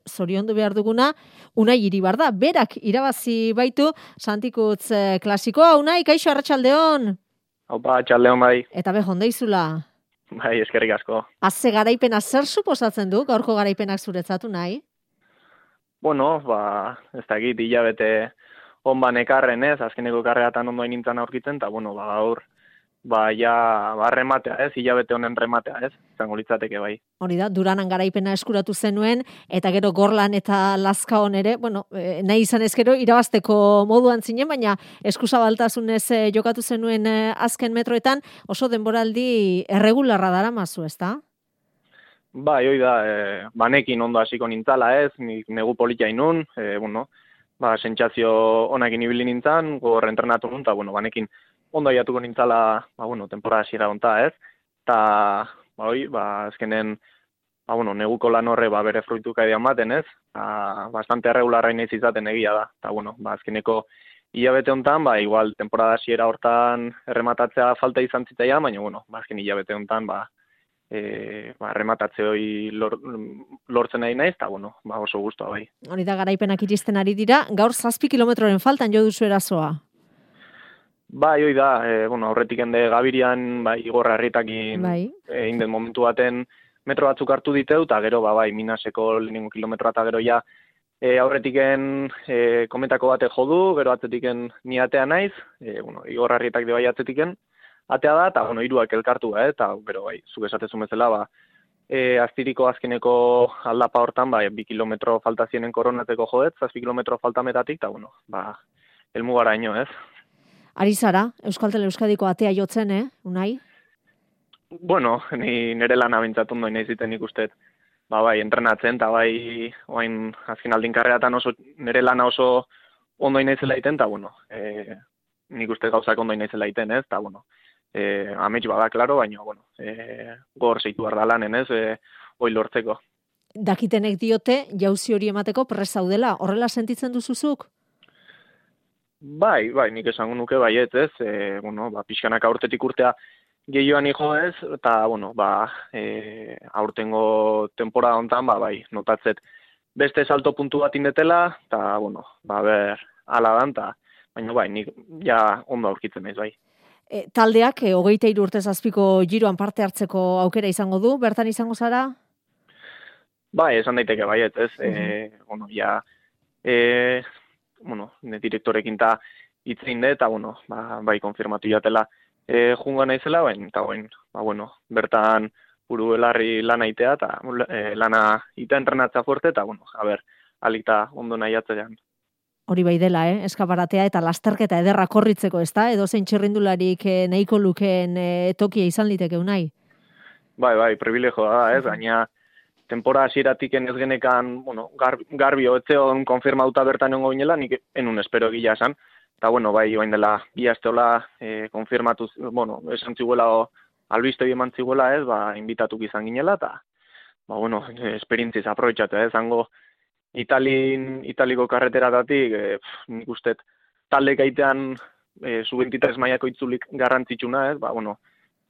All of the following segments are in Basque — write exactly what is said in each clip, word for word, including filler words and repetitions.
Zoriondu behar duguna, Unai Iribar da. Berak irabazi baitu Santikutz eh, klasikoa. Unai, kaixo, arratsaldeon. Opa, arratsaldeon bai. Eta be, jondeizula. Bai, eskerrik asko. Azze garaipena zer suposatzen du, gaurko garaipenak zuretzatu nahi? Bueno, ba, ez dakit, hilabete onban ekarren ez, azkeneko karreatan ondoen nintzen aurkitzen, eta bueno, ba, gaur, ba, ja, ba, rematea ez, hilabete honen rematea ez, izango litzateke bai. Hori da, Duranan garaipena eskuratu zenuen, eta gero Gorlan eta Lazkaon ere, bueno, eh, nahi izan ezkero, irabazteko moduan zinen, baina eskuzabaltasunez eh, jokatu zenuen eh, azken metroetan, oso denboraldi erregularra dara mazu, ez da? Bai, hoi da, e, banekin ondo hasiko nintzala ez, nik negu politia inun, e, bueno, ba, sentsazio onakin ibili nintzen, gogor entrenatu nun, eta bueno, banekin ondo aiatuko nintzala, ba, bueno, temporada hasiera honta ez, eta, ba, hoi, ba, azkenen, ba, bueno, neguko lan horre, ba, bere fruituka edean baten ez, ba, bastante erregularra inaiz izaten egia da, eta, bueno, ba, azkeneko hilabete hontan, ba, igual, temporada hasiera hortan errematatzea falta izan zitzaian, baina, bueno, ba, azken hilabete hontan, ba, E, ba, rematatze hori lor, lortzen nahi naiz, eta bueno, ba, oso guztua bai. Hori da, garaipenak iristen ari dira, gaur zazpi kilometroren faltan jo duzu erasoa. Bai, hoi da, e, bueno, aurretik ende Gabirian, bai, Igorra Herritakin bai. e, inden momentu baten metro batzuk hartu diteu, eta gero, ba, bai, Minaseko lehenengo kilometroa, eta gero ja, e, aurretiken e, kometako bate jodu, gero atzetiken ni atea naiz, e, bueno, Igorra Herritak de bai atzetiken, atea da, eta, bueno, hiruak elkartu, eh, eta, gero, bai, zuk esatezun bezala, ba, e, aztiriko azkeneko aldapa hortan, ba, bi kilometro falta zienen koronatzeko jodet, zazpi kilometro falta metatik, eta, bueno, ba, elmugara ino, ez? Ari zara, Euskaltel Euskadiko atea jotzen, eh, Unai? Bueno, ni nire lana bintzatu ondo inaziten ikustet, ba, bai, entrenatzen, eta bai, oain, azken aldin karreatan oso, nire lana oso ondo inazela iten, eta, bueno, e, nik uste gauzak ondo inazela iten, ez, eta, bueno, Eh, amets bada, klaro, baina, bueno, eh, gor zeitu behar da lanen, ez, eh, hoi lortzeko. Dakitenek diote, jauzi hori emateko prest zaudela, horrela sentitzen duzuzuk? Bai, bai, nik esango nuke baiet, ez, eh, bueno, ba, pixkanaka urtetik urtea gehioan hijo ez, eta, bueno, ba, eh, aurtengo temporada hontan, ba, bai, notatzet beste salto puntu bat indetela, eta, bueno, ba, ber, ala dan, ta, baina, bai, nik ja ondo aurkitzen naiz, bai. E, taldeak, e, hogeita hiru urtez azpiko giroan parte hartzeko aukera izango du, bertan izango zara? Bai, esan daiteke baiet, ez, Uh -huh. e, bueno, ja, e, bueno, ne direktorekin ta hitzein de, eta, bueno, ba, bai, konfirmatu jatela e, junga naizela, baina, eta, bain, ba, bueno, bertan buru belarri lana itea, eta e, lana ita entrenatza fuerte, eta, bueno, a ber, alikta ondo nahi atzean. Hori bai dela, eh? Eskaparatea eta lasterketa ederra korritzeko, ez da? Edo zein txirrindularik eh, nahiko lukeen eh, tokia izan liteke Unai? Bai, bai, privilegio da, ez, baina tempora hasieratik ez genekan, bueno, gar, garbi hotzeon konfirmauta bertan egongo ginela, nik enun espero gila esan, eta, bueno, bai, joain dela, bi asteola eh, konfirmatu, bueno, esan ziguela, o, albiste eman ziguela, ez, ba, invitatuk izan ginela, eta, ba, bueno, esperientziz aprobetxatu, ez, zango, Italin, Italiko karreteratatik, e, nik ustet, talde gaitean e, sub veintitrés mailako itzulik garrantzitsuna, ez, ba, bueno,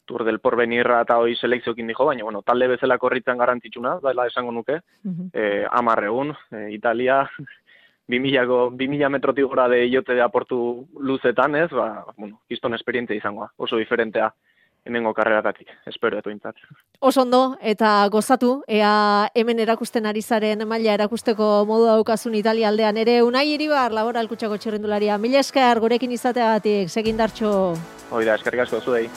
Tour del Porvenirra eta hoi selekziokin dijo, baina, bueno, talde bezala korritzen garrantzitsuna, dela esango nuke, uh-huh. e, amar egun, e, Italia, bi mila metrotik gora de jote de aportu luzetan, ez, ba, bueno, kiston esperientzia izangoa, oso diferentea. Hemengo karreratatik, espero eto intzat. Oso ondo, eta gozatu, ea hemen erakusten ari zaren maila erakusteko modu daukazun Italia aldean ere. Unai Iribar, Laboral Kutxako txirrindularia. Mila esker gurekin izateagatik, segindartxo. Hoi da, eskerrik asko zuei.